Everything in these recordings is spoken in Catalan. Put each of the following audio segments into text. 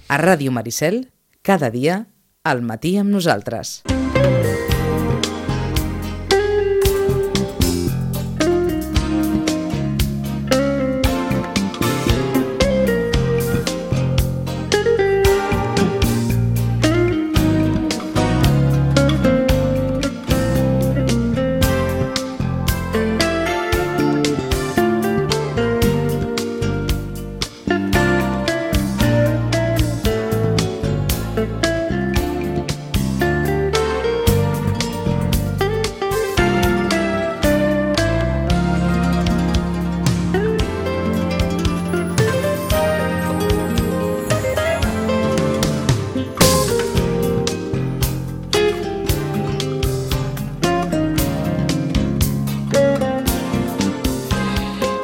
A Ràdio Maricel, cada dia, al matí amb nosaltres.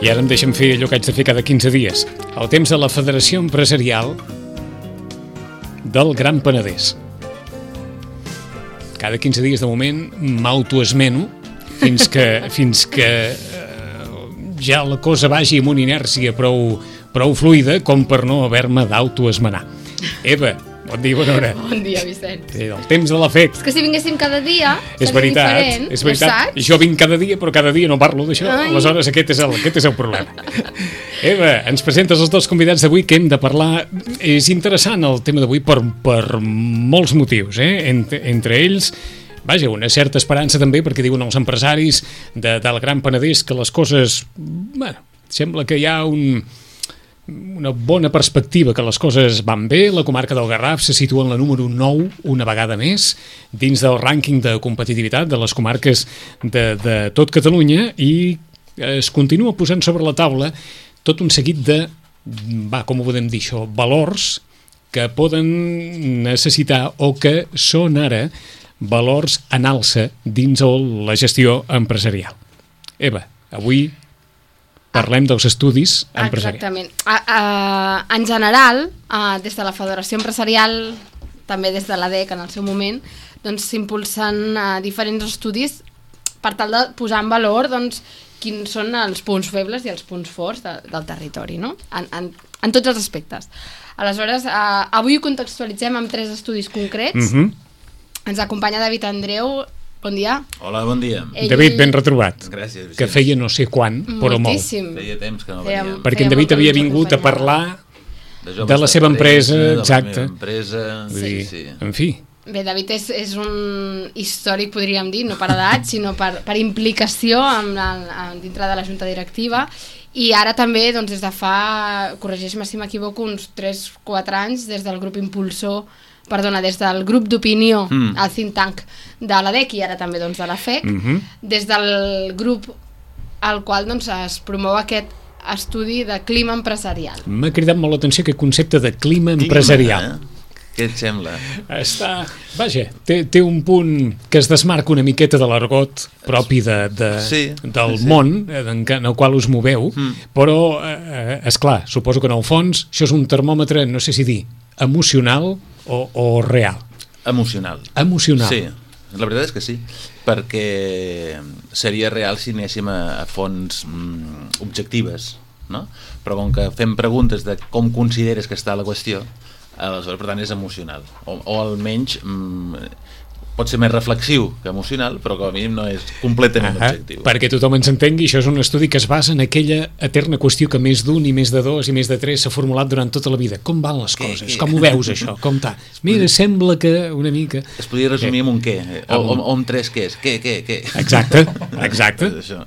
I ara em deixen fer allò que haig de fer cada 15 dies. El temps de la Federació Empresarial del Gran Penedès. Cada 15 dies, de moment, m'autoesmeno fins que ja la cosa vagi amb una inèrcia prou fluida com per no haver-me d'autoesmenar. Eva, bon dia, bona hora. Bon dia, Vicent. El temps de l'afecte. És que si vinguéssim cada dia és veritat, és veritat. Jo vinc cada dia, però cada dia no parlo d'això. Aleshores, aquest és el problema. Eva, ens presentes els dos convidats d'avui que hem de parlar. És interessant el tema d'avui per molts motius, entre ells, vaja, una certa esperança també, perquè diuen els empresaris del Gran Penedès que les coses, bueno, sembla que hi ha una bona perspectiva, que les coses van bé. La comarca del Garraf se situa en la número 9 una vegada més dins del rànquing de competitivitat de les comarques de tot Catalunya, i es continua posant sobre la taula tot un seguit de, com ho podem dir això, valors que poden necessitar o que són ara valors en alça dins la gestió empresarial. Eva, avui parlem dels estudis empresarials. Exactament. En general, des de la Federació Empresarial, també des de l'ADEC en el seu moment, doncs s'impulsen diferents estudis per tal de posar en valor quins són els punts febles i els punts forts del territori, no? En tots els aspectes. Aleshores, avui ho contextualitzem amb 3 estudis concrets. Ens acompanya David Andreu. Bon dia. Hola, bon dia. David, ben retrobat. Gràcies, Vicent. Que feia no sé quan, però molt. Feia temps que no veníem. Perquè en David havia vingut a parlar de la seva empresa, exacte. De la meva empresa, sí. En fi. Bé, David és un històric, podríem dir, no per edat, sinó per implicació dintre de la junta directiva, i ara també, des de fa, corregeix-me si m'equivoco, uns 3-4 anys, des del grup impulsor, des del grup d'opinió, el think tank de l'ADEC i ara també de la FEC, des del grup al qual es promou aquest estudi de clima empresarial. M'ha cridat molt l'atenció aquest concepte de clima empresarial. Què et sembla? Vaja, té un punt que es desmarca una miqueta de l'argot propi del món en el qual us moveu, però, esclar, suposo que en el fons això és un termòmetre, no sé si dir, emocional o real? Emocional. Emocional. Sí, la veritat és que sí, perquè seria real si anéssim a fonts objectives, no? Però com que fem preguntes de com consideres que està la qüestió, aleshores, per tant, és emocional. O almenys pot ser més reflexiu que emocional, però com a mínim no és completament objectiu. Perquè tothom ens entengui, això és un estudi que es basa en aquella eterna qüestió que més d'un i més de dos i més de tres s'ha formulat durant tota la vida. Com van les coses? Com ho veus, això? Com està? Mira, sembla que una mica... Es podria resumir amb un què, o amb 3 quès. Què? Exacte.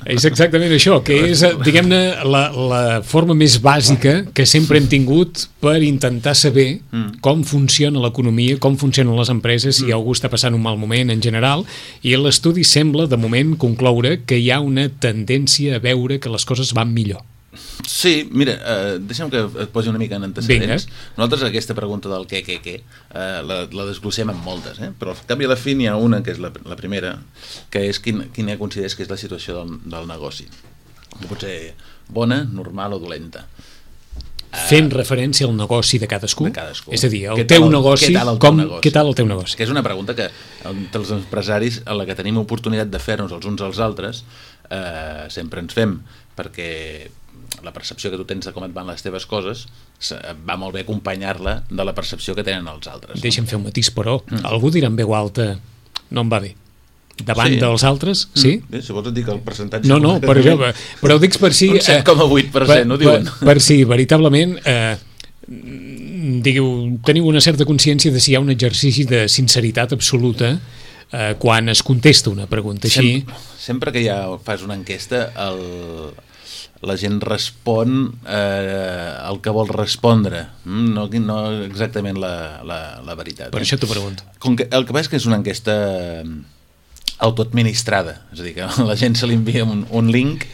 És exactament això, que és, diguem-ne, la forma més bàsica que sempre hem tingut per intentar saber com funciona l'economia, com funcionen les empreses, si algú està passant un mal moment en general, i l'estudi sembla, de moment, concloure que hi ha una tendència a veure que les coses van millor. Sí, mira, deixa'm que et posi una mica en antecedents. Nosaltres aquesta pregunta del què, la desglossem en moltes, però al cap i a la fi n'hi ha una, que és la primera, que és quina consideres que és la situació del negoci. Que pot ser bona, normal o dolenta. Fent referència al negoci de cadascú? És a dir, el teu negoci, què tal el teu negoci? Que és una pregunta que entre els empresaris, a la que tenim oportunitat de fer-nos els uns als altres, sempre ens fem, perquè la percepció que tu tens de com et van les teves coses va molt bé acompanyar-la de la percepció que tenen els altres. Deixa'm fer un matís, però algú dirà en veu alta no em va bé davant dels altres, sí? Bé, si vols et dic el percentatge... No, però ho dic per si... Un 7,8% ho diuen. Per si veritablement teniu una certa consciència de si hi ha un exercici de sinceritat absoluta quan es contesta una pregunta així. Sempre que fas una enquesta la gent respon el que vol respondre, no exactament la veritat. Per això t'ho pregunto. El que passa és que és una enquesta autoadministrada, és a dir, que a la gent se li envia un link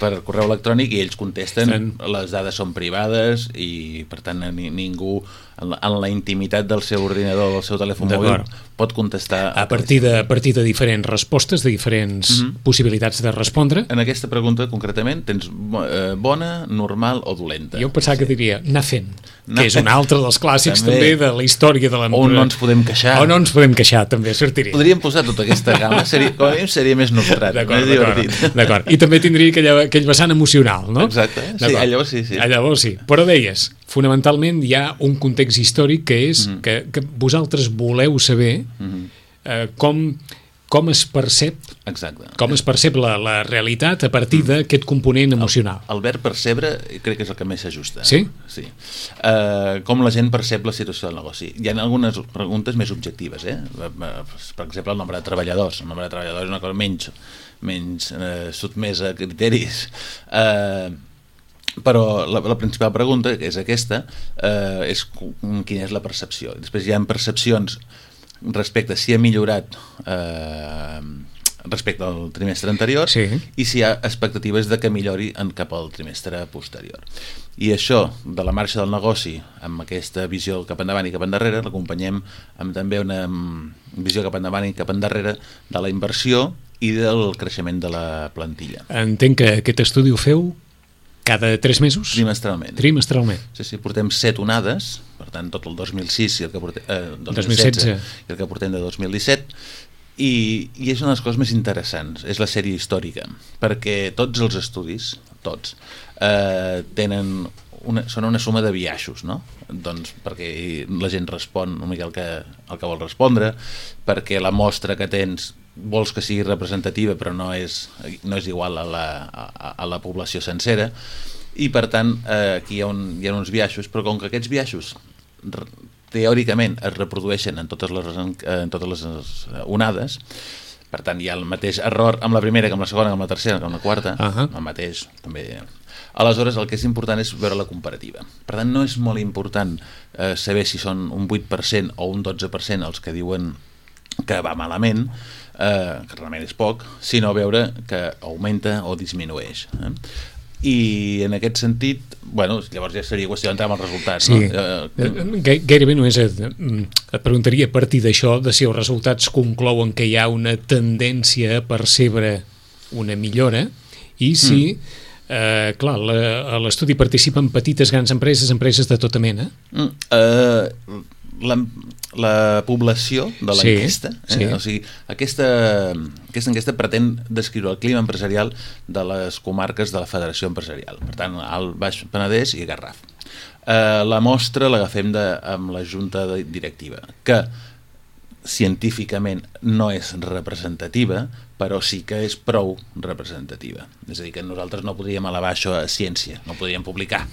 per correu electrònic i ells contesten, les dades són privades i per tant ningú en la intimitat del seu ordinador o del seu telèfon mòbil pot contestar a partir de diferents respostes, de diferents possibilitats de respondre. En aquesta pregunta concretament tens bona, normal o dolenta. Jo pensava que diria anar fent, que és un altre dels clàssics també de la història de l'empresa. O no ens podem queixar. O no ens podem queixar, també sortiria. Podríem posar tota aquesta gamma, com a mínim seria més nostrat, més divertit. D'acord, i també tindria aquell vessant emocional, no? Exacte, sí, llavors sí. Llavors sí, però deies, fonamentalment hi ha un context històric que és que vosaltres voleu saber com es percep la realitat a partir d'aquest component emocional. El verb percebre crec que és el que més s'ajusta. Sí? Sí. Com la gent percep la situació del negoci. Hi ha algunes preguntes més objectives, per exemple el nombre de treballadors. El nombre de treballadors és una cosa menys sotmesa a criteris. Però la principal pregunta, que és aquesta, és quina és la percepció. Després hi ha percepcions respecte a si ha millorat respecte al trimestre anterior i si hi ha expectatives de que millori cap al trimestre posterior. I això, de la marxa del negoci, amb aquesta visió cap endavant i cap endarrere, l'acompanyem amb també una visió cap endavant i cap endarrere de la inversió i del creixement de la plantilla. Entenc que aquest estudi ho feu cada 3 mesos? Trimestralment. Sí, portem 7 onades, per tant, tot el 2006 i el que portem, 2016 i el que portem de 2017, i és una de les coses més interessants, és la sèrie històrica, perquè tots els estudis, són una suma de biaixos, no? Doncs perquè la gent respon una mica el que vol respondre, perquè la mostra que tens vols que sigui representativa però no és igual a la població sencera i per tant aquí hi ha uns biaixos, però com que aquests biaixos teòricament es reprodueixen en totes les onades, per tant hi ha el mateix error amb la primera, amb la segona, amb la tercera, amb la quarta, el mateix també. Aleshores el que és important és veure la comparativa. Per tant no és molt important saber si són un 8% o un 12% els que diuen que va malament, que realment és poc, sinó veure que augmenta o disminueix. I en aquest sentit, llavors ja seria qüestió d'entrar amb els resultats. Sí. Gairebé només et preguntaria a partir d'això de si els resultats conclouen que hi ha una tendència a percebre una millora i si, clar, a l'estudi participen petites, grans empreses de tota mena. La població de l'enquesta, o sigui, aquesta enquesta pretén descriure el clima empresarial de les comarques de la Federació Empresarial, per tant, Alt, Baix Penedès i Garraf. La mostra l'agafem amb la Junta Directiva, que científicament no és representativa, però sí que és prou representativa. És a dir, que nosaltres no podríem elevar això a ciència, no podríem publicar,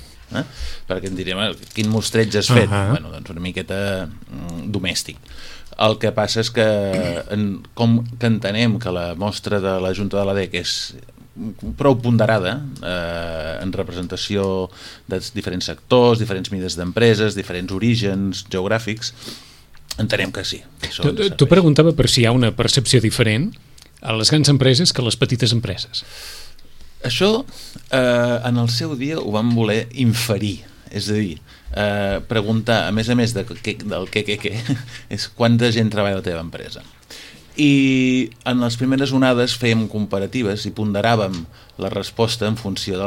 perquè ens diríem quin mostreig has fet. Doncs una miqueta domèstic. El que passa és que com que entenem que la mostra de la Junta de l'ADEC és prou ponderada en representació de diferents sectors, diferents mides d'empreses, diferents orígens geogràfics, entenem que sí. Tu preguntava per si hi ha una percepció diferent a les grans empreses que a les petites empreses. Això en el seu dia ho vam voler inferir, és a dir, preguntar, a més del què, és quanta gent treballa a la teva empresa. I en les primeres onades fèiem comparatives i ponderàvem la resposta en funció de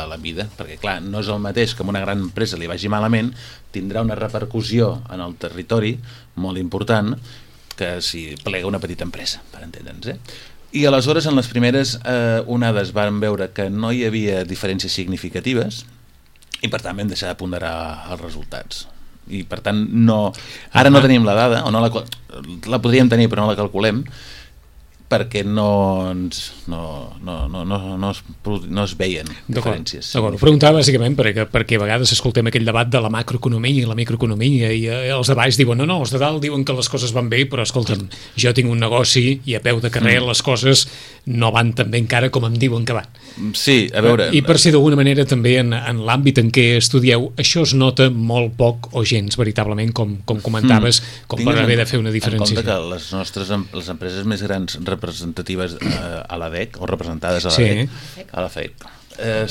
la mida, perquè clar, no és el mateix que una gran empresa li vagi malament, tindrà una repercussió en el territori molt important que si plega una petita empresa, per entendre'ns. I aleshores en les primeres onades vam veure que no hi havia diferències significatives i per tant vam deixar de ponderar els resultats. I per tant ara no tenim la dada, o la podríem tenir però no la calculem, perquè no es veien diferències. Ho preguntava bàsicament perquè a vegades escoltem aquell debat de la macroeconomia i la microeconomia i els de baix diuen no, els de dalt diuen que les coses van bé, però escolta'm, jo tinc un negoci i a peu de carrer les coses no van tan bé encara com em diuen que van. Sí, a veure... I per si d'alguna manera també en l'àmbit en què estudieu, això es nota molt poc o gens, veritablement, com comentaves, com per haver de fer una diferència. En compte que les empreses més grans representatives a l'ADEC o representades a la FEC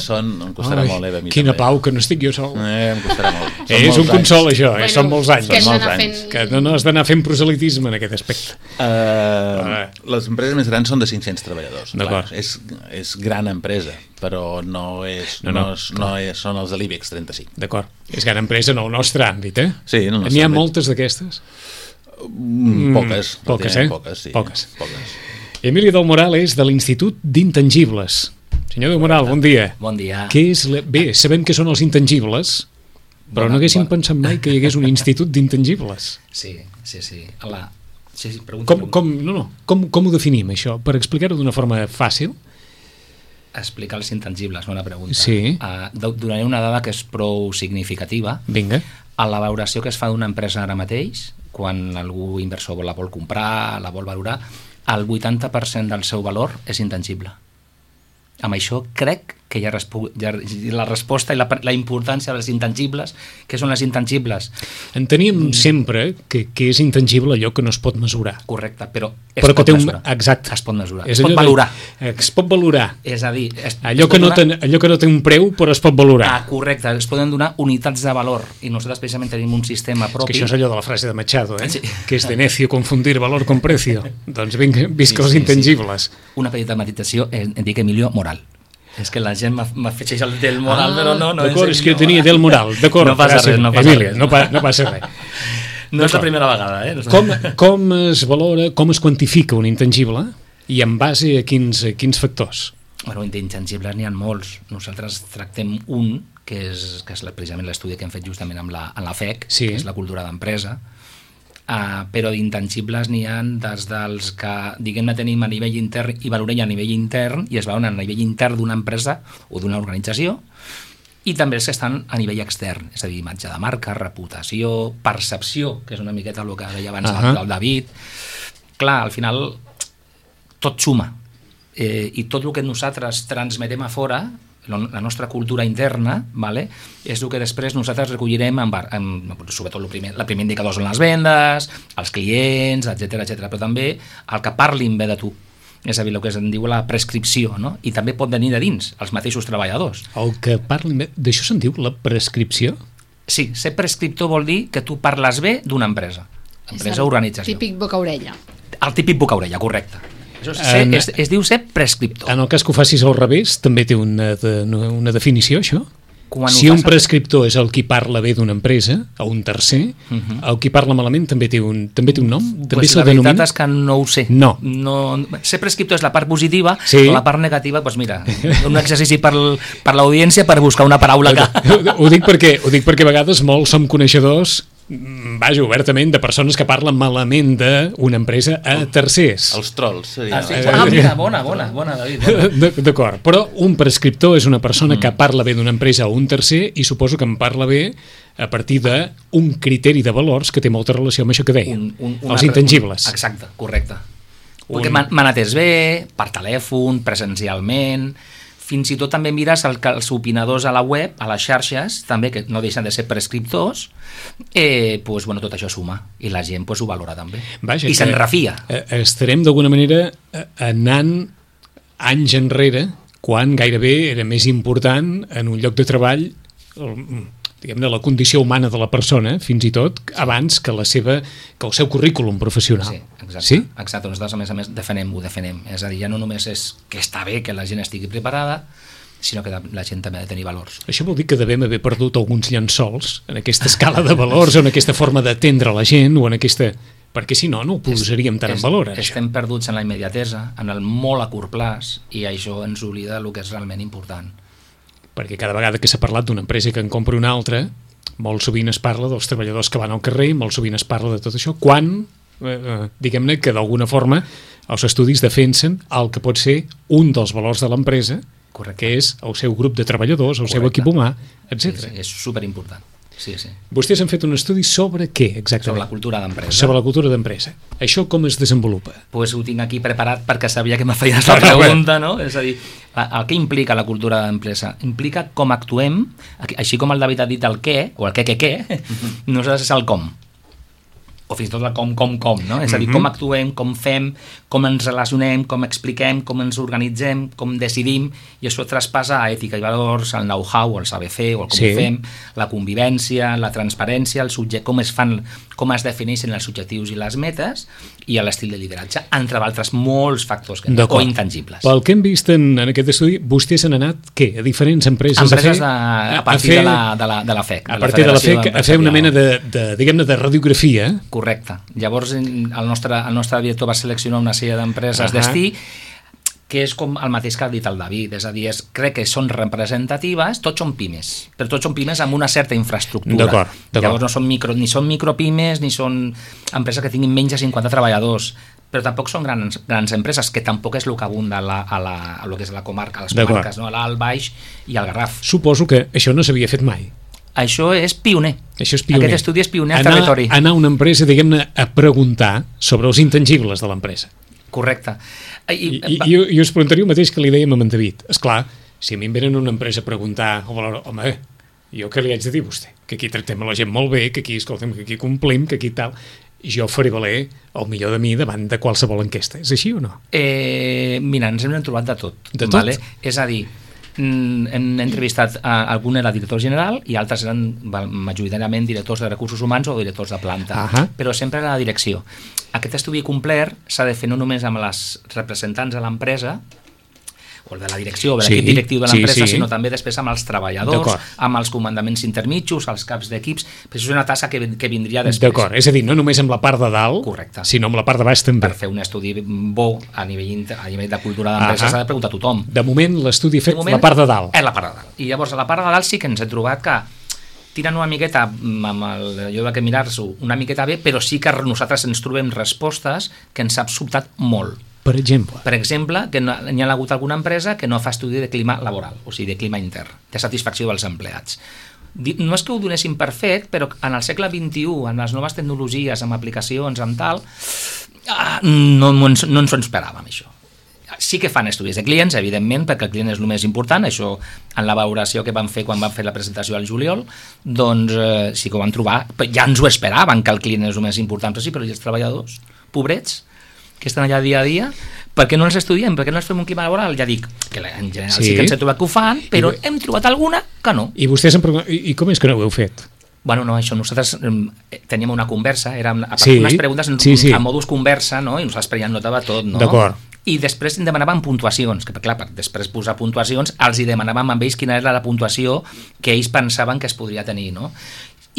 són, em costarà molt, a mi quina també. pau que no estic jo sol. Em costarà molt. És un consol això, són molts anys. Que no has d'anar fent proselitisme en aquest aspecte. Les empreses més grans són de 500 treballadors. D'acord. És gran empresa, però no són els de l'IBEX 35. D'acord, és gran empresa en el nostre àmbit, eh? Sí, en el nostre N'hi ha àmbit. moltes d'aquestes? Poques, sí. Poques. Emilio del Moral és de l'Institut d'Intangibles. Senyor del Moral, bon dia. Bon dia. Bé, sabem que són els intangibles, però no haguéssim pensat mai que hi hagués un institut d'intangibles. Sí. Com ho definim, això? Per explicar-ho d'una forma fàcil? Explicar els intangibles, bona pregunta. Sí. Donaré una dada que és prou significativa. Vinga. A la valoració que es fa d'una empresa ara mateix, quan algú inversor la vol comprar, la vol valorar, el 80% del seu valor és intangible. Amb això crec que hi ha la resposta i la importància dels intangibles. Què són les intangibles? Enteníem sempre que és intangible allò que no es pot mesurar. Correcte, però es pot mesurar. Exacte. Es pot mesurar, es pot valorar. Es pot valorar. És a dir... Allò que no té un preu però es pot valorar. Correcte, es poden donar unitats de valor i nosaltres precisament tenim un sistema propi. És que això és allò de la frase de Machado, Sí. Que és de necio confundir valor con precio. Doncs visca els intangibles. Una petita matització, em dic Emilio Moral. És que la gent m'afegeix el del Moral, però no d'acord, és que jo tenia del Moral. D'acord, no passa res, Emília, no passa res. No és la primera vegada, eh? Com es valora, com es quantifica un intangible i en base a quins factors? Bueno, d'intangibles n'hi ha molts. Nosaltres tractem un, que és precisament l'estudi que hem fet justament amb la FEC, que és la cultura d'empresa, però d'intangibles n'hi ha des dels que, diguem-ne, tenim a nivell intern i valorem a nivell intern i es veuen a nivell intern d'una empresa o d'una organització, i també els que estan a nivell extern, és a dir, imatge de marca, reputació, percepció, que és una miqueta el que deia abans el David. Clar, al final tot suma, i tot el que nosaltres transmetem a fora, la nostra cultura interna, és el que després nosaltres recollirem sobretot el primer indicador són les vendes, els clients, etc, però també el que parlin bé de tu. És a dir, el que se'n diu la prescripció, no? I també pot venir de dins, els mateixos treballadors. El que parlin bé, d'això se'n diu la prescripció? Sí, ser prescriptor vol dir que tu parles bé d'una empresa o organització. Típic boca-orella. El típic boca-orella, correcte. Això es diu ser prescriptor. En el cas que ho facis al revés, també té una definició, això? Si un prescriptor és el qui parla bé d'una empresa, o un tercer, el qui parla malament també té un nom? Pues la veritat és que no ho sé. No. Ser prescriptor és la part positiva, la part negativa, doncs mira, un exercici per l'audiència per buscar una paraula que... Ho dic perquè a vegades molts som coneixedors, vaja, obertament, de persones que parlen malament d'una empresa a tercers. Els trolls, seria. Mira, bona, David. D'acord, però un prescriptor és una persona que parla bé d'una empresa o un tercer i suposo que en parla bé a partir d'un criteri de valors que té molta relació amb això que deia, els intangibles. Exacte, correcte. Perquè m'han atès bé, per telèfon, presencialment... Fins i tot també mires els opinadors a la web, a les xarxes, també, que no deixen de ser prescriptors, tot això suma, i la gent ho valora també. I se'n refia. Estarem d'alguna manera anant anys enrere, quan gairebé era més important en un lloc de treball, diguem-ne, la condició humana de la persona, fins i tot, abans que el seu currículum professional. Sí, exacte. Exacte. Nosaltres, a més, defenem. És a dir, ja no només és que està bé que la gent estigui preparada, sinó que la gent també ha de tenir valors. Això vol dir que devem haver perdut alguns llençols en aquesta escala de valors, o en aquesta forma d'atendre la gent, o en aquesta perquè si no, no ho posaríem tant en valor. Estem perduts en la immediatesa, en el molt a curt plaç, i això ens oblida del que és realment important. Perquè cada vegada que s'ha parlat d'una empresa que en compra una altra, molt sovint es parla dels treballadors que van al carrer, molt sovint es parla de tot això, quan, diguem-ne que d'alguna forma els estudis defensen el que pot ser un dels valors de l'empresa, que és el seu grup de treballadors, el seu equip humà, etc. Sí, és superimportant. Sí. Vostès han fet un estudi sobre què, exactament? Sobre la cultura d'empresa. Sobre la cultura d'empresa. Això com es desenvolupa? Pues ho tinc aquí preparat perquè sabia que me feies la pregunta, no? És a dir, el que implica la cultura d'empresa? Implica com actuem, així com el David ha dit el què, o el què, nosaltres és el com. O fins i tot el com, no? És a dir, com actuem, com fem, com ens relacionem, com expliquem, com ens organitzem, com decidim, i això traspassa a ètica i valors, el know-how, el saber fer, o el com ho fem, la convivència, la transparència, com es defineixen els objectius i les metes, i l'estil de lideratge, entre altres molts factors o intangibles. Pel que hem vist en aquest estudi, vostès han anat, què? A diferents empreses a partir de la FEC. A partir de la FEC, a fer una mena de radiografia. Correcte. Llavors el nostre director va seleccionar una sèrie d'empreses destí que és com el mateix que ha dit el David, és a dir, crec que són representatives, tots són pimes, però tots són pimes amb una certa infraestructura. D'acord. Llavors no són ni són micropimes ni són empreses que tinguin menys de 50 treballadors, però tampoc són grans empreses, que tampoc és el que abunda a lo que és la comarca, a les comarques, no? A l'Alt, Baix i al Garraf. Suposo que això no s'havia fet mai. Això és pioner. Això és pioner. Aquest estudi és pioner al territori. Anar a una empresa, diguem-ne, a preguntar sobre els intangibles de l'empresa. Correcte. I us preguntaria el mateix que li dèiem a en David. Esclar, si a mi em venen a una empresa a preguntar, home, jo què li haig de dir a vostè? Que aquí tractem a la gent molt bé, que aquí, escolta'm, que aquí complim, que aquí tal. Jo faré valer el millor de mi davant de qualsevol enquesta. És així o no? Mira, ens hem trobat de tot. De tot? Vale? És a dir, hem entrevistat algun era director general i altres eren majoritàriament directors de recursos humans o directors de planta, però sempre era la direcció. Aquest estudi complet s'ha de fer no només amb les representants de l'empresa o de la direcció, de l'equip directiu de l'empresa, sinó també després amb els treballadors, amb els comandaments intermitjos, els caps d'equips, però això és una tasca que vindria després. D'acord, és a dir, no només amb la part de dalt, sinó amb la part de baix també. Per fer un estudi bo a nivell de cultura d'empresa s'ha de preguntar a tothom. De moment l'estudi ha fet la part de dalt. És la part de dalt. I llavors a la part de dalt sí que ens he trobat que tiren una miqueta amb allò que mirar-s'ho una miqueta bé, però sí que nosaltres ens trobem respostes que ens ha sobtat molt. Per exemple? Per exemple, que n'hi ha hagut alguna empresa que no fa estudi de clima laboral, o sigui, de clima intern, de satisfacció dels empleats. No és que ho donessin per fet, però en el segle XXI, amb les noves tecnologies, amb aplicacions, amb tal, no ens ho esperàvem, això. Sí que fan estudis de clients, evidentment, perquè el client és el més important, això en la valoració que van fer quan van fer la presentació al juliol, doncs sí que ho van trobar, ja ens ho esperaven que el client és el més important, però sí, però i els treballadors, pobrets, que estan allà dia a dia, per què no els estudiem? Per què no els fem un clima laboral? Ja dic que en general sí que ens he trobat que ho fan, però hem trobat alguna que no. I vostès i com és que no ho heu fet? Bueno, no, això, nosaltres teníem una conversa, eren unes preguntes en modus conversa, no? I nosaltres ja notava tot, no? D'acord. I després demanàvem puntuacions, que clar, per després posar puntuacions, els hi demanàvem amb ells quina era la puntuació que ells pensaven que es podria tenir, no?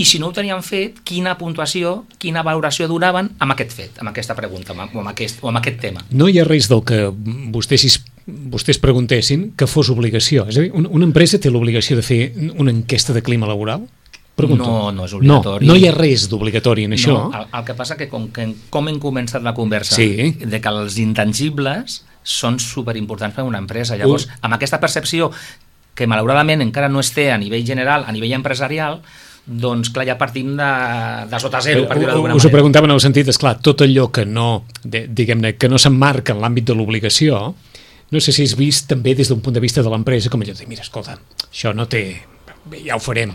I si no ho tenien fet, quina puntuació, quina valoració donaven amb aquest fet, amb aquesta pregunta, o amb aquest tema. No hi ha res del que vostès preguntessin que fos obligació. És a dir, una empresa té l'obligació de fer una enquesta de clima laboral? Pregunto. No és obligatori. No hi ha res d'obligatori en això. No, el que passa que com hem començat la conversa, de que els intangibles són superimportants per a una empresa. Llavors, amb aquesta percepció que malauradament encara no es té a nivell general, a nivell empresarial, doncs clar, ja partim de sota zero, per dir-ho d'alguna manera. Us ho preguntava en el sentit, esclar, tot allò que no, diguem-ne, que no s'emmarca en l'àmbit de l'obligació, no sé si és vist també des d'un punt de vista de l'empresa, com allò de dir, mira, escolta, això no té, ja ho farem.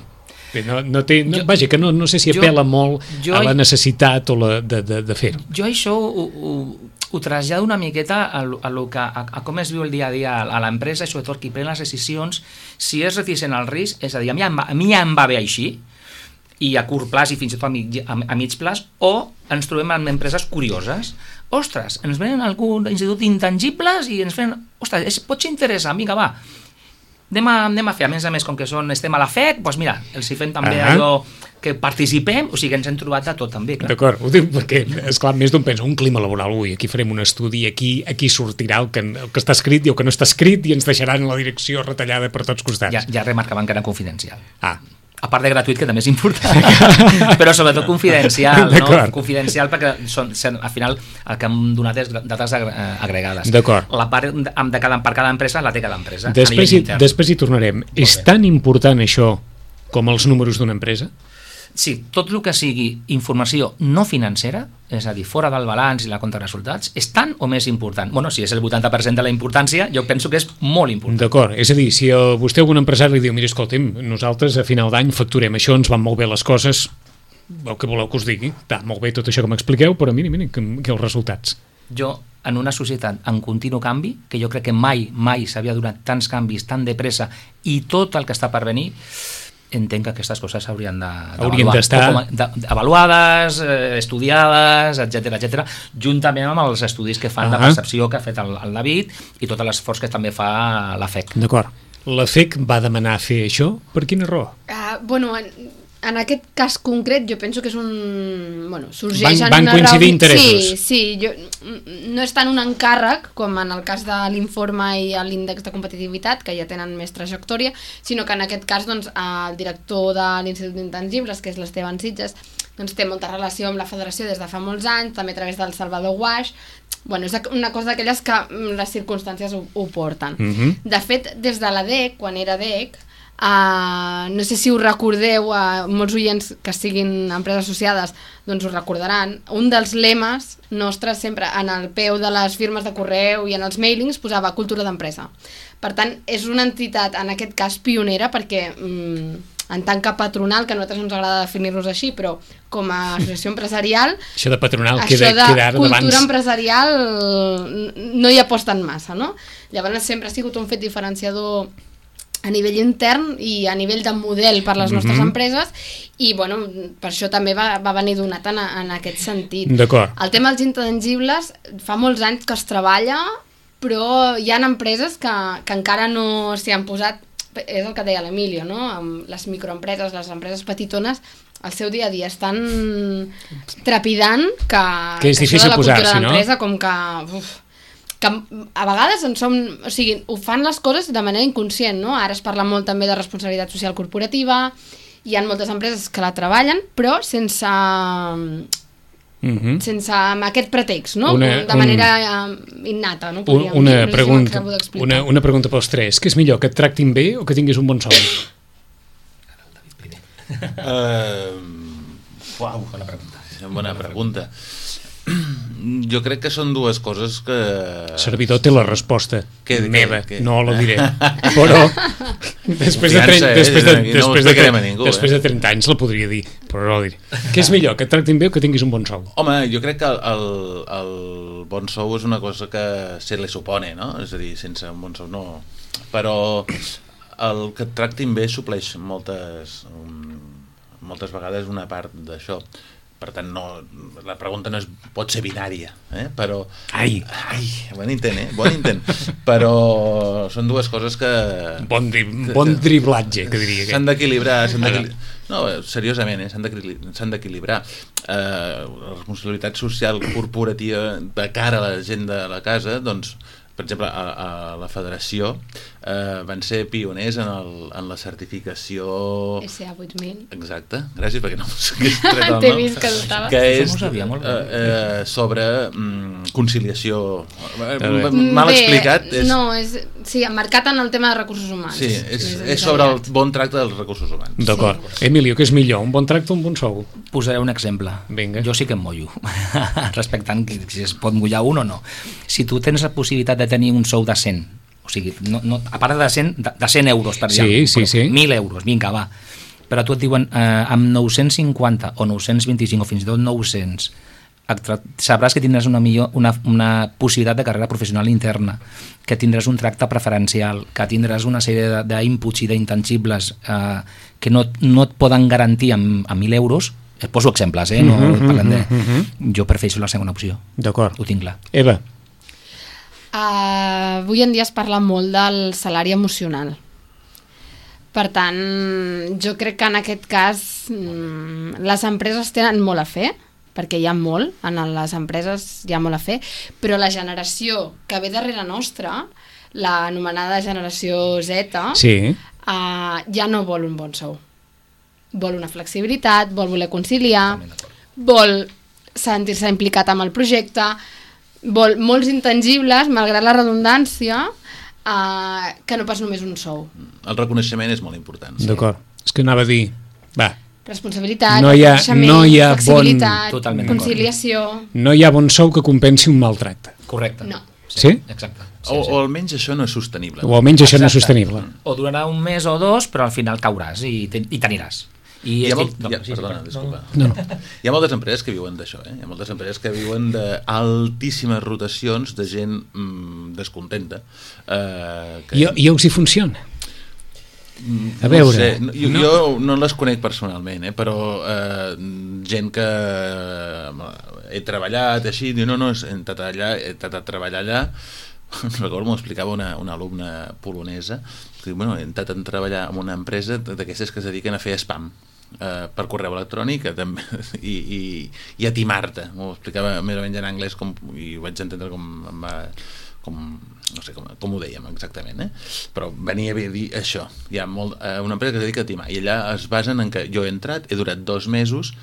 Vaja, que no sé si apela molt a la necessitat de fer-ho. Jo això ho trasllado una miqueta a com es viu el dia a dia a l'empresa, i sobretot qui pren les decisions, si és reticent al risc, és a dir, a mi ja em va bé així, i a curt plaç i fins i tot a mig plaç, o ens trobem amb empreses curioses. Ostres, ens venen algun institut d'intangibles i ens fan, ostres, pot ser interessant, vinga, va. anem a fer, a més, com que estem a la FEC, doncs mira, els hi fem també allò que participem, o sigui, ens hem trobat de tot també, clar. D'acord, ho dic perquè, esclar, més d'un pensa, un clima laboral, aquí farem un estudi, aquí sortirà el que està escrit i el que no està escrit i ens deixaran la direcció retallada per tots costats. Ja remarcaven que era confidencial. A part de gratuït, que també és important, però sobretot confidencial, no? Confidencial perquè al final el que hem donat és dades agregades. D'acord. La part per cada empresa la té cada empresa. Després hi tornarem. És tan important això com els números d'una empresa? Sí, tot el que sigui informació no financera, és a dir, fora del balanç i la compta de resultats, és tan o més important. Bueno, si és el 80% de la importància, jo penso que és molt important. D'acord, és a dir, si vostè algun empresari li diu, mira, escolta'm, nosaltres a final d'any facturem això, ens van molt bé les coses, el que voleu que us digui, està molt bé tot això que m'expliqueu, però mira, que els resultats. Jo, en una societat en continu canvi, que jo crec que mai s'havia donat tants canvis tan de pressa i tot el que està per venir, entenc que aquestes coses haurien d'estar avaluades, estudiades, etc, juntament amb els estudis que fan de percepció que ha fet el David i tot l'esforç que també fa la FEC. D'acord. La FEC va demanar fer això? Per quina raó? En aquest cas concret jo penso que és sorgeix en una van coincidir interessos. Sí, no és tant un encàrrec com en el cas de l'informe i l'índex de competitivitat, que ja tenen més trajectòria, sinó que en aquest cas el director de l'Institut d'Intangibles, que és l'Esteban Sitges, té molta relació amb la federació des de fa molts anys, també a través del Salvador Guaix. És una cosa d'aquelles que les circumstàncies ho porten. De fet, des de la DEC, quan era DEC, no sé si ho recordeu, molts oients que siguin empreses associades doncs ho recordaran, un dels lemes nostres sempre en el peu de les firmes de correu i en els mailings posava cultura d'empresa. Per tant, és una entitat en aquest cas pionera perquè en tant que patronal, que a nosaltres no ens agrada definir-nos així, però com a associació empresarial, això de patronal queda ara d'abans. Cultura empresarial no hi aposten massa, no? Llavors sempre ha sigut un fet diferenciador a nivell intern i a nivell de model per les nostres empreses i per això també va venir donat en aquest sentit. D'acord. El tema dels intangibles fa molts anys que es treballa, però hi ha empreses que encara no s'hi han posat, és el que deia l'Emilio, no? Amb les microempreses, les empreses petitones, el seu dia a dia estan trepidant que és difícil posar-s'hi, no? D'empresa com que a vegades ho fan les coses de manera inconscient, no? Ara es parla molt també de responsabilitat social corporativa, hi ha moltes empreses que la treballen, però sense amb aquest pretext, no? De manera innata, no? Una pregunta pels tres. Què és millor, que et tractin bé o que tinguis un bon sou? Bona pregunta. Jo crec que són dues coses que... Servidor té la resposta meva, no la diré, però després de 30 anys la podria dir, però no la diré. Què és millor, que et tractin bé o que tinguis un bon sou? Home, jo crec que el bon sou és una cosa que se li supone, no? És a dir, sense un bon sou no... Però el que et tractin bé supleix moltes vegades una part d'això. Per tant, la pregunta no pot ser binària, però... Bon intent, però són dues coses que... Bon driblatge, que diria. S'han d'equilibrar, no, seriosament, s'han d'equilibrar. La responsabilitat social corporativa de cara a la gent de la casa, doncs, per exemple, a la federació van ser pioners en la certificació SA8000. Exacte, gràcies perquè no m'hagués tret el nom. T'he vist que dubtava. Que és sobre conciliació. Mal explicat. No, sí, marcat en el tema de recursos humans. Sí, és sobre el bon tracte dels recursos humans. D'acord. Emilio, què és millor, un bon tracte o un bon sou? Posaré un exemple. Vinga. Jo sí que em mollo, respectant si es pot mullar un o no. Si tu tens la possibilitat de tenir un sou de 100, o sigui, a part de 100 euros per allà, sí. 1.000 euros, vinga, va, però tu et diuen amb 950 o 925 o fins i tot 900 sabràs que tindràs una possibilitat de carrera professional interna, que tindràs un tracte preferencial, que tindràs una sèrie d'inputs i d'intangibles que no et poden garantir amb 1.000 euros. Et poso exemples, no parlem de... Jo prefereixo la segona opció. D'acord. Ho tinc clar. Eva. Avui en dia es parla molt del salari emocional. Per tant, jo crec que en aquest cas les empreses tenen molt a fer, perquè hi ha molt, en les empreses hi ha molt a fer, però la generació que ve darrere nostra, l'anomenada generació Z, ja no vol un bon sou. Vol una flexibilitat, vol voler conciliar, vol sentir-se implicat amb el projecte, vol molts intangibles, malgrat la redundància, que no pas només un sou. El reconeixement és molt important. Sí. D'acord. És que anava a dir... Va. Responsabilitat, flexibilitat, conciliació... No hi ha bon sou que compensi un maltracte. Correcte. No. Sí? Exacte. O almenys això no és sostenible. O almenys això no és sostenible. O durarà un mes o dos, però al final cauràs i t'aniràs. Perdona, disculpa. No. Hi ha moltes empreses que viuen d'això, Hi ha moltes empreses que viuen d'altíssimes rotacions de gent descontenta. I els hi funciona? A veure... No sé, jo no les conec personalment, però gent que he treballat així, diu, no, he intentat treballar allà. Recordo, m'ho explicava una alumna polonesa, que diu, he intentat treballar en una empresa d'aquestes que es dediquen a fer spam per correu electrònic i a timar-te. M'ho explicava més o menys en anglès i ho vaig entendre no sé com ho dèiem exactament, però venia a dir això. Hi ha una empresa que es dedica a timar i allà es basen en que jo he entrat, he durat 2 mesos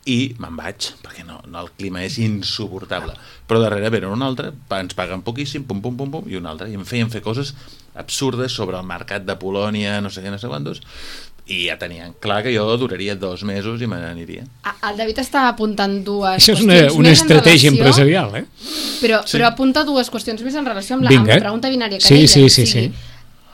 i me'n vaig, perquè el clima és insuportable, però darrere venen un altre, ens paguen poquíssim, pum, pum, pum, pum, i un altre, i em feien fer coses absurdes sobre el mercat de Polònia, no sé què, no sé quantos, i ja tenien clar que jo duraria 2 mesos i me n'aniria. El David està apuntant dues Això és qüestions una estratègia empresarial, Però apunta dues qüestions més en relació amb la pregunta binària que deia. Sí.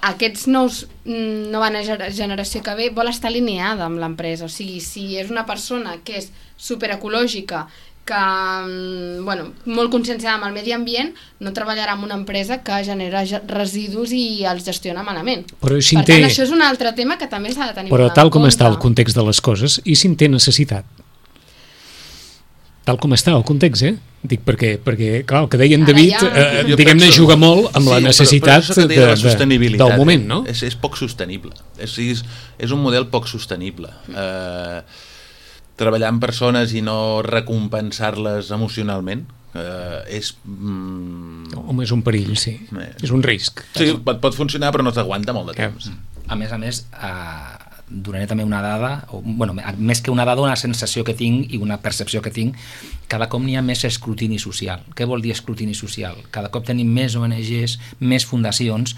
Aquests nova generació que ve vol estar alineada amb l'empresa, o sigui, si és una persona que és superecològica, que molt conscienciada amb el medi ambient, no treballarà en una empresa que genera residus i els gestiona malament. Per tant, això és un altre tema que també s'ha de tenir en compte. Però tal com està el context de les coses, i si en té necessitat? Tal com està el context, Dic perquè clar, el que deia en David, diguem-ne, juga molt amb la necessitat del moment, no? És poc sostenible. És un model poc sostenible. Treballar amb persones i no recompensar-les emocionalment és... Home, és un perill, sí. És un risc. Sí, pot funcionar, però no t'aguanta molt de temps. A més, donaré també una dada, més que una dada, una sensació que tinc i una percepció que tinc, cada cop n'hi ha més escrutini social. Què vol dir escrutini social? Cada cop tenim més ONGs, més fundacions,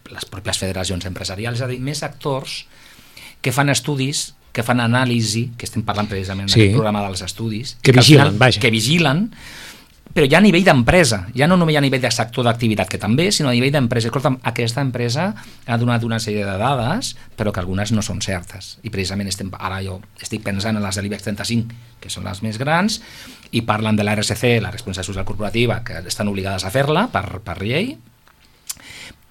les pròpies federacions empresarials, és a dir, més actors que fan estudis, que fan anàlisi, que estem parlant precisament d'aquest programa dels estudis, que vigilen, però ja a nivell d'empresa, ja no només a nivell de sector d'activitat, que també, sinó a nivell d'empresa. Escolta'm, aquesta empresa ha donat una sèrie de dades, però que algunes no són certes. I precisament ara jo estic pensant en les de l'IBEX 35, que són les més grans, i parlen de la RSC, la responsabilitat social corporativa, que estan obligades a fer-la per llei,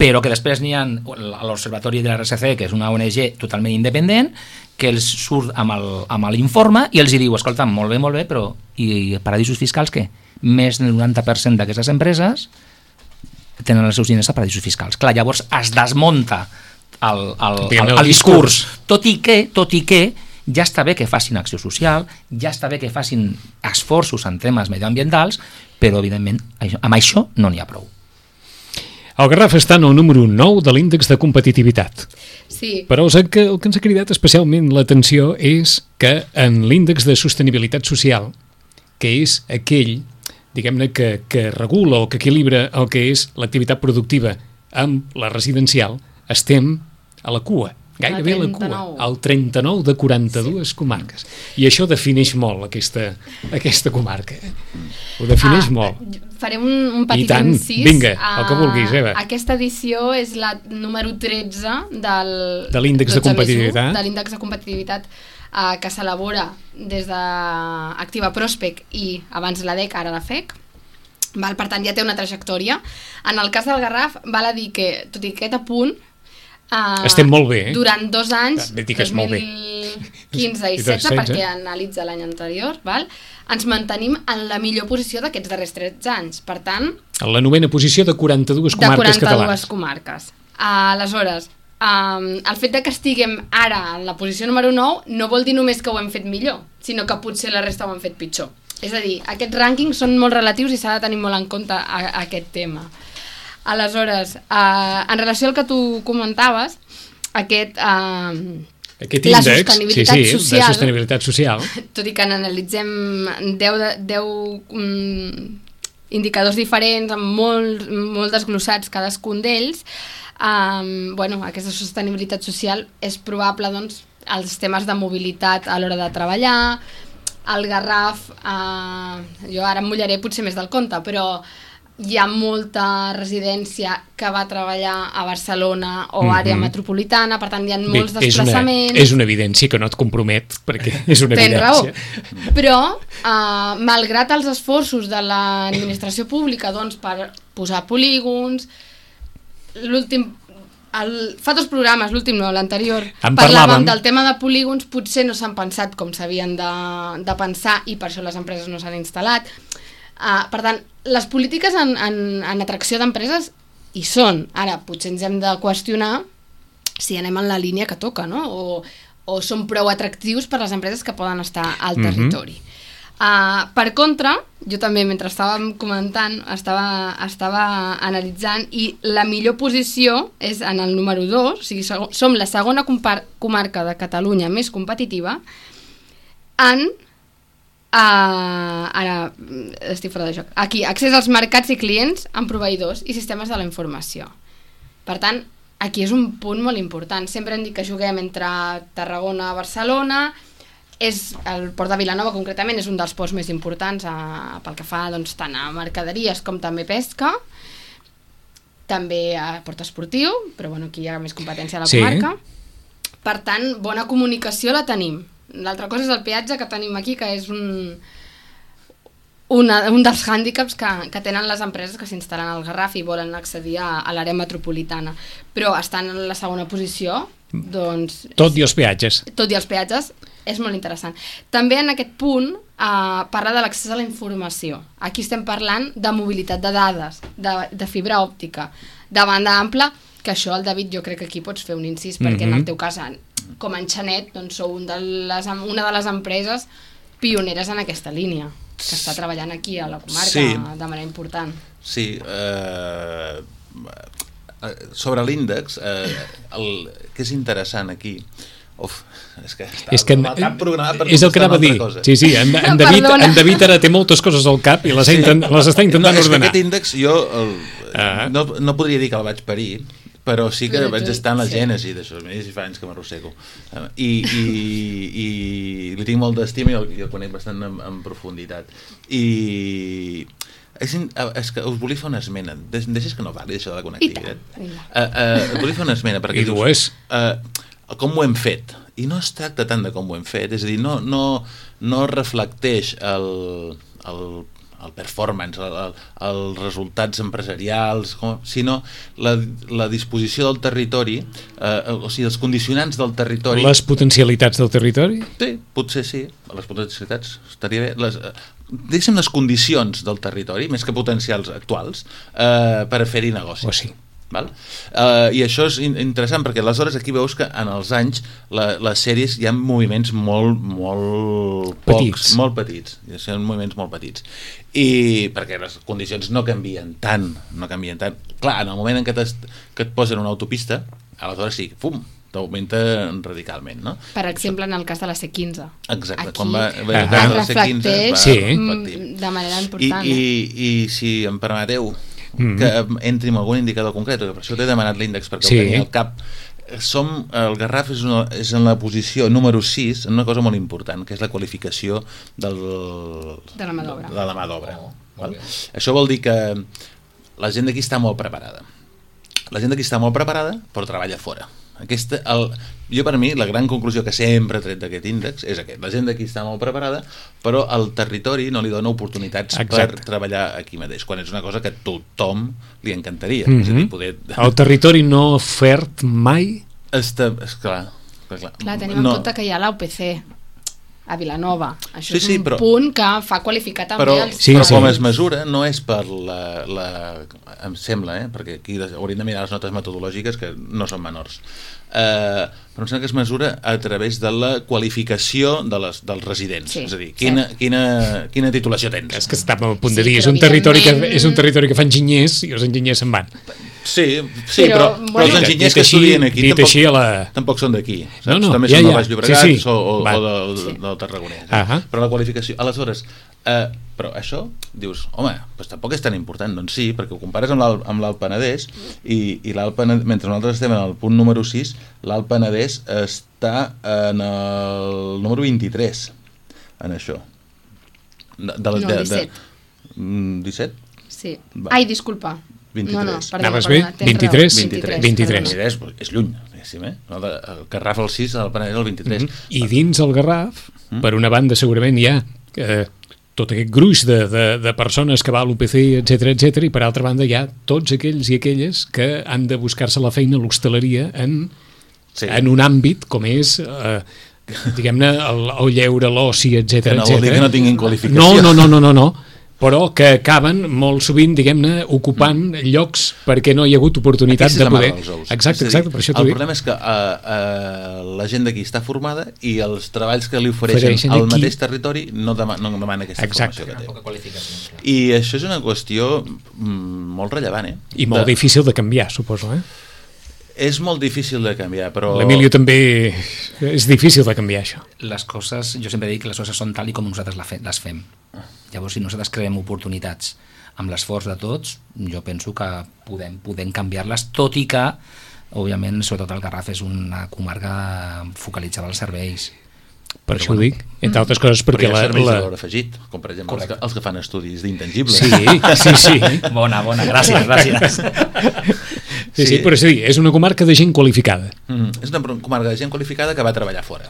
però que després n'hi ha l'Observatori de la RSC, que és una ONG totalment independent, que els surt amb l'informe i els diu, escolta, molt bé, però i paradisos fiscals què? Més del 90% d'aquestes empreses tenen els seus diners a paradisos fiscals. Clar, llavors es desmunta el discurs, tot i que ja està bé que facin acció social, ja està bé que facin esforços en temes medioambientals, però evidentment amb això no n'hi ha prou. El Garraf està en el número 9 de l'índex de competitivitat. Sí. Però el que ens ha cridat especialment l'atenció és que en l'índex de sostenibilitat social, que és aquell, diguem-ne, que regula o que equilibra el que és l'activitat productiva amb la residencial, estem a la cua, gairebé a la cua, al 39 de 42 comarques. I això defineix molt aquesta comarca. Ho defineix molt. Farem un petit incís. Vinga, el que vulguis, Eva. Aquesta edició és la número 13 de l'índex de competitivitat. De l'índex de competitivitat que s'elabora des d'Activa Prospec i abans la DEC, ara la FEC. Per tant, ja té una trajectòria. En el cas del Garraf, val a dir que, tot i aquest apunt, estem molt bé, durant 2 anys, 2015 i 16, perquè analitza l'any anterior, ens mantenim en la millor posició d'aquests darrers 13 anys. Per tant... En la 9ª posició de 42 comarques catalanes. Aleshores, el fet de que estiguem ara en la posició número 9 no vol dir només que ho hem fet millor, sinó que potser la resta ho han fet pitjor. És a dir, aquests rànquings són molt relatius i s'ha de tenir molt en compte aquest tema. Aleshores, en relació al que tu comentaves, aquest índex, de sostenibilitat social, tot i que n'analitzem 10 indicadors diferents, amb molt desglossats cadascun d'ells, aquesta sostenibilitat social és probable, doncs, els temes de mobilitat a l'hora de treballar, el Garraf, jo ara em mullaré potser més del compte, però hi ha molta residència que va treballar a Barcelona o àrea metropolitana, per tant hi ha molts desplaçaments. És una evidència que no et compromet, perquè és una evidència. Tens raó, però malgrat els esforços de l'administració pública per posar polígons, fa 2 programes, l'últim no, l'anterior, parlàvem del tema de polígons, potser no s'han pensat com s'havien de pensar i per això les empreses no s'han instal·lat. Per tant, les polítiques en atracció d'empreses hi són. Ara, potser ens hem de qüestionar si anem en la línia que toca, no? O són prou atractius per les empreses que poden estar al territori. Per contra, jo també, mentre estàvem comentant, estava analitzant, i la millor posició és en el número 2, o sigui, som la segona comarca de Catalunya més competitiva en... ara estic fora de joc. Aquí, accés als mercats i clients amb proveïdors i sistemes de la informació. Per tant, aquí és un punt molt important. Sempre hem dit que juguem entre Tarragona i Barcelona. El port de Vilanova, concretament, és un dels ports més importants pel que fa tant a mercaderies com també pesca. També a port esportiu, però aquí hi ha més competència a la comarca. Per tant, bona comunicació la tenim. L'altra cosa és el peatge que tenim aquí, que és un dels hàndicaps que tenen les empreses que s'instal·len al Garraf i volen accedir a l'àrea metropolitana. Però estan en la segona posició, doncs... Tot i els peatges. Tot i els peatges, és molt interessant. També en aquest punt parla de l'accés a la informació. Aquí estem parlant de mobilitat de dades, de fibra òptica, de banda ampla, que això, el David, jo crec que aquí pots fer un incís, perquè en el teu cas, com a Enxanet, doncs sou una de les empreses pioneres en aquesta línia, que està treballant aquí a la comarca de manera important. Sí, sobre l'índex, que és interessant aquí, és que el cap programat per és el que anava a dir. Sí, en David ara té moltes coses al cap i les està intentant ordenar. Aquest índex jo no podria dir que el vaig parir, però sí que vaig estar en la gènesi d'això, més fa anys que m'arrossego, i li tinc molt d'estima i el conec bastant en profunditat, i és que us volia fer una esmena. Deixes que no parli d'això de la connectivitat? Us volia fer una esmena perquè dius com ho hem fet, i no es tracta tant de com ho hem fet, és a dir, no reflecteix el performance, els resultats empresarials, sinó la disposició del territori, o sigui, els condicionants del territori. Les potencialitats del territori? Sí, potser sí, les potencialitats estaria bé. Deixem les condicions del territori, més que potencials actuals, per fer-hi negoci. O sí. Val? I això és interessant perquè aleshores aquí veus que en els anys les sèries hi ha moviments molt petits, són moviments molt petits, i perquè les condicions no canvien tant. Clar, en el moment en què et posen una autopista, aleshores sí, t'augmenta radicalment, no? Per exemple, en el cas de la C15. Exacte, quan es reflecteix de manera important. I si em permeteu que entri en algun indicador concret, per això t'he demanat l'índex perquè el tenia al cap. El Garraf és en la posició número 6 en una cosa molt important, que és la qualificació de la mà d'obra. Això vol dir que la gent d'aquí està molt preparada. Però treballa fora. Jo, per mi, la gran conclusió que sempre he tret d'aquest índex és aquest: la gent d'aquí està molt preparada, però el territori no li dona oportunitats per treballar aquí mateix, quan és una cosa que a tothom li encantaria. És a dir, el territori no ofert mai? És clar. Clar, tenim en compte que hi ha l'UPC. a Vilanova. Això és un punt que fa qualificar també els... Però com es mesura no és per em sembla, perquè aquí hauríem de mirar les notes metodològiques que no són menors, però em sembla que es mesura a través de la qualificació dels residents, és a dir, quina titulació tens. És que estàvem a punt de dir, és un territori que fa enginyers i els enginyers se'n van. Sí, però els enginyers que estudien aquí tampoc són d'aquí. També són del Baix Llobregat o del Tarragonès. Però la qualificació... Aleshores, però això, dius, home, tampoc és tan important. Doncs sí, perquè ho compares amb l'Alt Penedès i l'Alt Penedès, mentre nosaltres estem en el punt número 6, l'Alt Penedès està en el número 23 en això. No, 17. 17? Sí. Ai, disculpa. 23. No, anaves bé? 23? 23. És lluny, diguéssim, el Garraf el 6, el Penedès el 23. I dins el Garraf, per una banda segurament hi ha tot aquest gruix de persones que va a l'UPC, etc, i per altra banda hi ha tots aquells i aquelles que han de buscar-se la feina a l'hostaleria en un àmbit com és... diguem-ne, el lleure, l'oci, etc. Que no vol dir que no tinguin qualificació. No, però que acaben molt sovint, diguem-ne, ocupant llocs perquè no hi ha hagut oportunitat de poder... Exacte, per això t'ho dic. El problema és que la gent d'aquí està formada i els treballs que li ofereixen al mateix territori no demana aquesta formació que té. I això és una qüestió molt rellevant, I molt difícil de canviar, suposo, És molt difícil de canviar, però... L'Emilio també és difícil de canviar, això. Les coses, jo sempre dic que les coses són tal i com nosaltres les fem. Llavors, si nosaltres creem oportunitats amb l'esforç de tots, jo penso que podem canviar-les, tot i que, òbviament, sobretot el Garraf és una comarca focalitzada als serveis. Per això ho dic, entre altres coses perquè... Però hi ha serveis de valor afegit, com per exemple els que fan estudis d'intangibles. Sí. Bona, gràcies. Sí, però és una comarca de gent qualificada. És una comarca de gent qualificada que va treballar fora.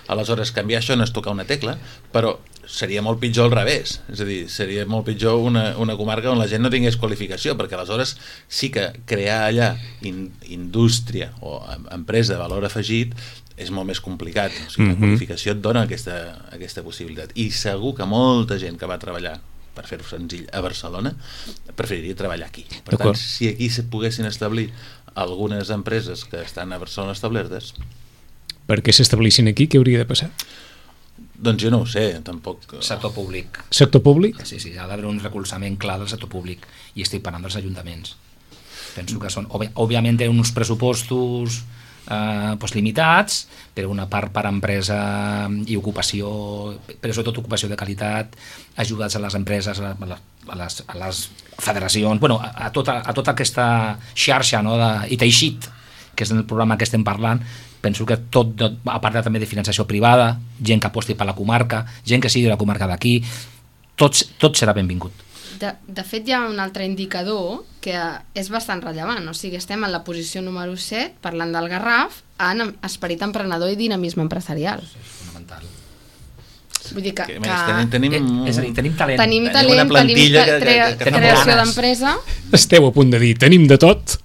Aleshores, canviar això no és tocar una tecla, però seria molt pitjor al revés. És a dir, seria molt pitjor una comarca on la gent no tingués qualificació, perquè aleshores sí que crear allà indústria o empresa de valor afegit és molt més complicat. O sigui, la qualificació et dona aquesta possibilitat. I segur que molta gent que va treballar, per fer-ho senzill, a Barcelona, preferiria treballar aquí. Per tant, si aquí se poguessin establir algunes empreses que estan a Barcelona establertes... Per què s'establissin aquí? Què hauria de passar? Doncs jo no ho sé, tampoc... Sector públic. Sector públic? Sí, ha d'haver un recolzament clar del sector públic, i estic parlant dels ajuntaments. Penso que són... Òbviament tenen uns pressupostos limitats, però una part per empresa i ocupació, però sobretot ocupació de qualitat, ajudes a les empreses, a les federacions, a tota aquesta xarxa, i teixit, que és el programa que estem parlant. Penso que tot, a part també de finançació privada, gent que aposti per la comarca, gent que sigui de la comarca d'aquí, tot serà benvingut. De fet, hi ha un altre indicador que és bastant rellevant, o sigui, estem en la posició número 7, parlant del Garraf, en esperit emprenedor i dinamisme empresarial. És fonamental. Vull dir que és a dir, tenim talent. Tenim creació d'empresa. Esteu a punt de dir, tenim de tot,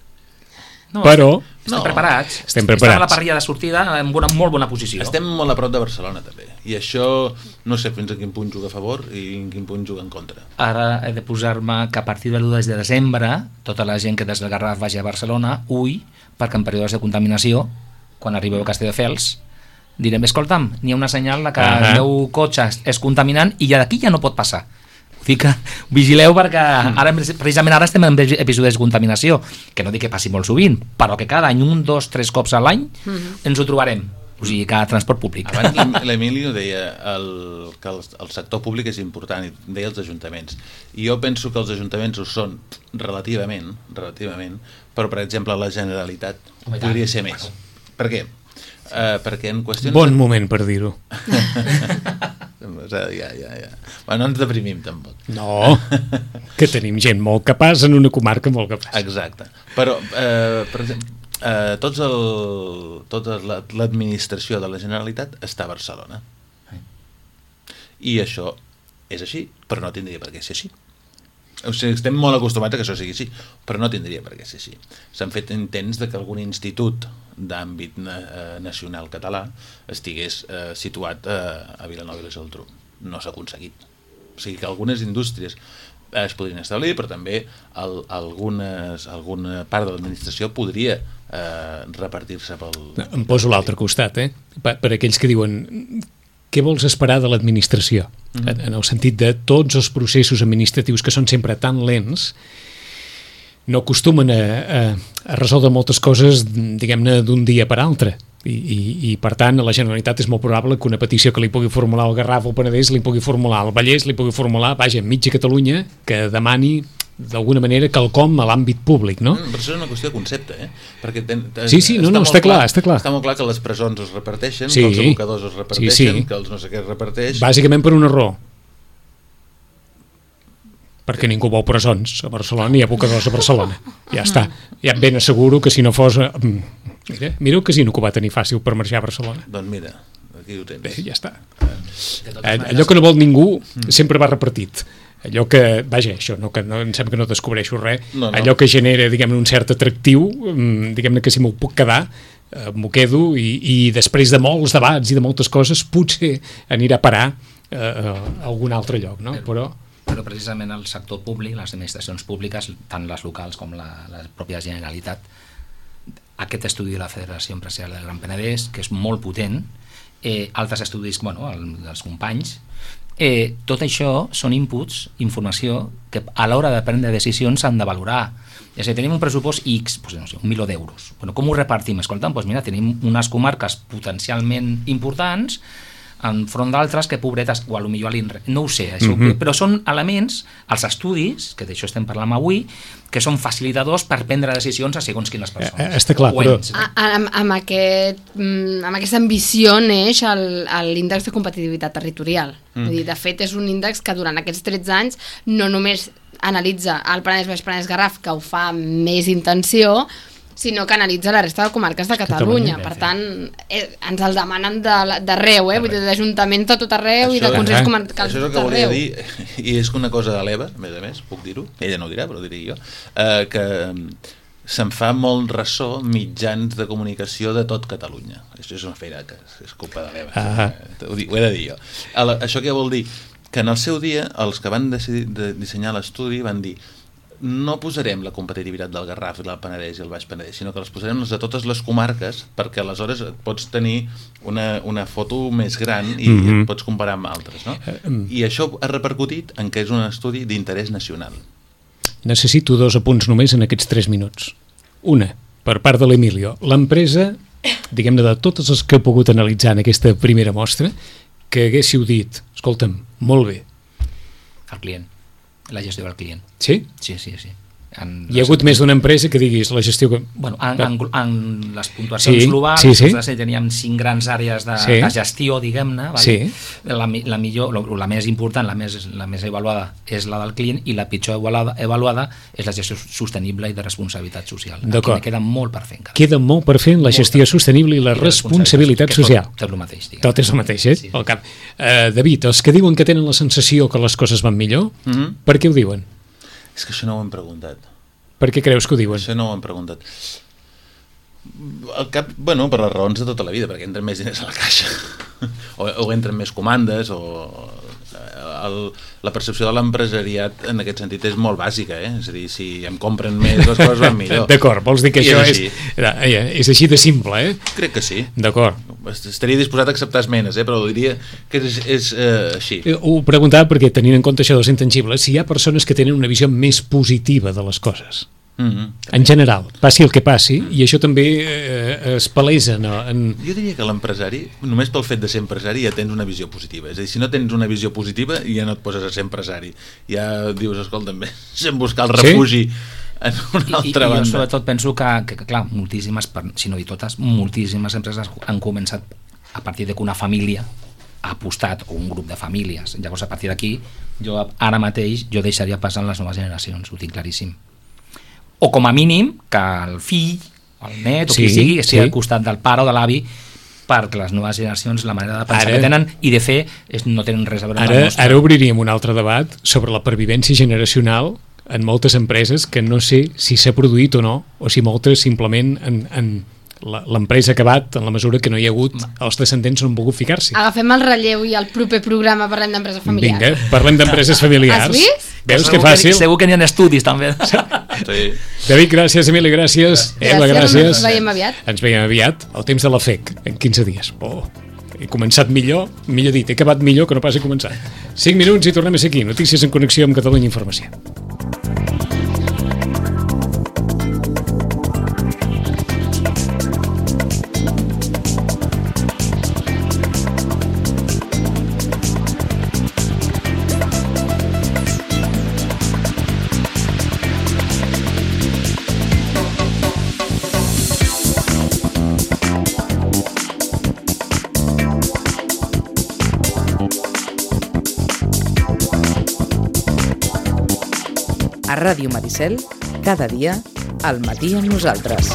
però... Estem preparats. Estem a la parrilla de sortida en una molt bona posició. Estem molt a prop de Barcelona, també. I això no sé fins a quin punt juga a favor i en quin punt juga en contra. Ara he de posar-me que a partir de l'1 de desembre tota la gent que des del Garraf vagi a Barcelona, perquè en períodes de contaminació, quan arribeu a Castelldefels, direm, escolta'm, n'hi ha una senyal que el meu cotxe és contaminant i d'aquí ja no pot passar. Que vigileu perquè precisament ara estem en episodis de contaminació, que no dic que passi molt sovint, però que cada any 1, 2, 3 cops a l'any ens ho trobarem. O sigui, que transport públic. Abans l'Emilio deia que el sector públic és important, i deia els ajuntaments. I jo penso que els ajuntaments ho són relativament, però per exemple la Generalitat podria ser més. Per què? Perquè en qüestions... Bon moment per dir-ho. Ja. Bueno, no ens deprimim tampoc. No, que tenim gent molt capaç en una comarca molt capaç. Exacte. Però, per exemple, tota l'administració de la Generalitat està a O sigui, estem molt acostumats a que això sigui així, però no tindria per què ser així. S'han fet intents de que algun institut d'àmbit nacional català estigués situat a Vilanova i la Geltrú. No s'ha aconseguit. O sigui que algunes indústries es podrien establir, però també alguna part de l'administració podria repartir-se pel... Em poso a l'altre costat, per aquells que diuen què vols esperar de l'administració? En el sentit de tots els processos administratius que són sempre tan lents no acostumen a resoldre moltes coses, diguem-ne, d'un dia per altre. I per tant, a la Generalitat és molt probable que una petició que li pugui formular el Garraf o el Penedès li pugui formular el Vallès, li pugui formular, vaja, mitja Catalunya, que demani d'alguna manera quelcom a l'àmbit públic, no? Però això és una qüestió de concepte, Perquè sí, no, està clar. Està molt clar que les presons es reparteixen, que els abocadors es reparteixen, que els no sé què es reparteix... Bàsicament per una raó. Perquè ningú vol presons a Barcelona ni abocadors a Barcelona. Ja està. Ja em ben asseguro que si no fos... Mira el casino que ho va tenir fàcil per marxar a Barcelona. Doncs mira, aquí ho tens. Bé, ja està. Allò que no vol ningú sempre va repartit. Allò que, vaja, això, no, que no, em sembla que no descobreixo res, allò que genera, diguem-ne, un cert atractiu, diguem-ne que si m'ho puc quedar, m'ho quedo, i després de molts debats i de moltes coses, potser anirà a parar a algun altre lloc, no? Però precisament el sector públic, les administracions públiques, tant les locals com la pròpia Generalitat, aquest estudi de la Federació Empresarial del Gran Penedès, que és molt potent, altres estudis, dels companys, tot això són inputs, informació, que a l'hora de prendre decisions s'han de valorar. És a dir, tenim un pressupost X, no sé, 1 milió d'euros. Com ho repartim? Escolta'm, mira, tenim unes comarques potencialment importants enfront d'altres que pobretes, o potser a l'INRE, no ho sé, això, però són elements, els estudis, que d'això estem parlant avui, que són facilitadors per prendre decisions a segons quines persones. Està clar, però... Amb aquesta ambició neix l'índex de competitivitat territorial. De fet, és un índex que durant aquests 13 anys no només analitza el Penedès Baix Penedès Garraf, que ho fa amb més intenció, sinó que analitza la resta de comarques de Catalunya. Per tant, ens el demanen d'arreu, vull dir, d'ajuntaments de tot arreu i de consells comarcals de tot arreu. Això és el que volia dir, i és una cosa de l'Eva, a més, puc dir-ho, ella no ho dirà, però ho diré jo, que se'n fa molt ressò mitjans de comunicació de tot Catalunya. Això és una feina que és culpa de l'Eva, ho he de dir jo. Això què vol dir? Que en el seu dia, els que van decidir dissenyar l'estudi van dir: no posarem la competitivitat del Garraf i del Penedès i el Baix Penedès, sinó que les posarem les de totes les comarques, perquè aleshores pots tenir una foto més gran i et pots comparar amb altres, no? I això ha repercutit en que és un estudi d'interès nacional. Necessito 2 apunts només en aquests 3 minuts. Una, per part de l'Emilio. L'empresa, diguem-ne, de totes les que he pogut analitzar en aquesta primera mostra, que haguéssiu dit, escolta'm, molt bé. El client. La gestió del client. Sí? Sí. Hi ha hagut més d'una empresa que diguis la gestió... En les puntuacions globals, teníem 5 grans àrees de gestió, diguem-ne. La millor, la més important, la més avaluada és la del client, i la pitjor avaluada és la gestió sostenible i de responsabilitat social. Aquí queda molt per fer encara. Queda molt per fer la gestió sostenible i la responsabilitat social. Tot és el mateix, diguem. Tot és el mateix, al cap. David, els que diuen que tenen la sensació que les coses van millor, per què ho diuen? És que això no ho hem preguntat. Per què creus que ho diuen? Això no ho hem preguntat. Al cap, per les raons de tota la vida, perquè entren més diners a la caixa, o entren més comandes, o la percepció de l'empresariat en aquest sentit és molt bàsica, és a dir, si em compren més les coses van millor. D'acord, vols dir que això és així de simple, Crec que sí. D'acord. Estaria disposat a acceptar esmenes, però diria que és així. Ho preguntava perquè, tenint en compte això dels intangibles, si hi ha persones que tenen una visió més positiva de les coses. En general, passi el que passi, i això també es palesa, no? Jo diria que l'empresari, només pel fet de ser empresari, ja tens una visió positiva. És a dir, si no tens una visió positiva, ja no et poses a ser empresari. Ja dius, escolta'm, sem buscar el refugi en una altra banda. Jo sobretot penso que clar, moltíssimes, si no dir totes, moltíssimes empreses han començat a partir de que una família ha apostat, o un grup de famílies. Llavors, a partir d'aquí, ara mateix jo deixaria passar les noves generacions, ho tinc claríssim. O com a mínim que el fill, el net, o qui sigui, estigui al costat del pare o de l'avi, perquè les noves generacions, la manera de pensar que tenen i de fer no tenen res a veure amb la nostra. Ara obriríem un altre debat sobre la pervivència generacional en moltes empreses que no sé si s'ha produït o no, o si moltes simplement l'empresa ha acabat en la mesura que no hi ha hagut, els descendents no han volgut ficar-s'hi. Agafem el relleu i al proper programa parlem d'empreses familiars. Vinga, parlem d'empreses familiars. Has vist? Veus que fàcil? Segur que n'hi ha estudis també. Sí. David, gràcies, Emili, gràcies. Eva, gràcies. Ens veiem aviat. Ens veiem aviat, al temps de la FEC, en 15 dies. He començat millor dit, he acabat millor que no pas he començat. 5 minuts i tornem a ser aquí. Notícies en connexió amb Catalunya Informació. A Ràdio Maricel, cada dia, al matí amb nosaltres.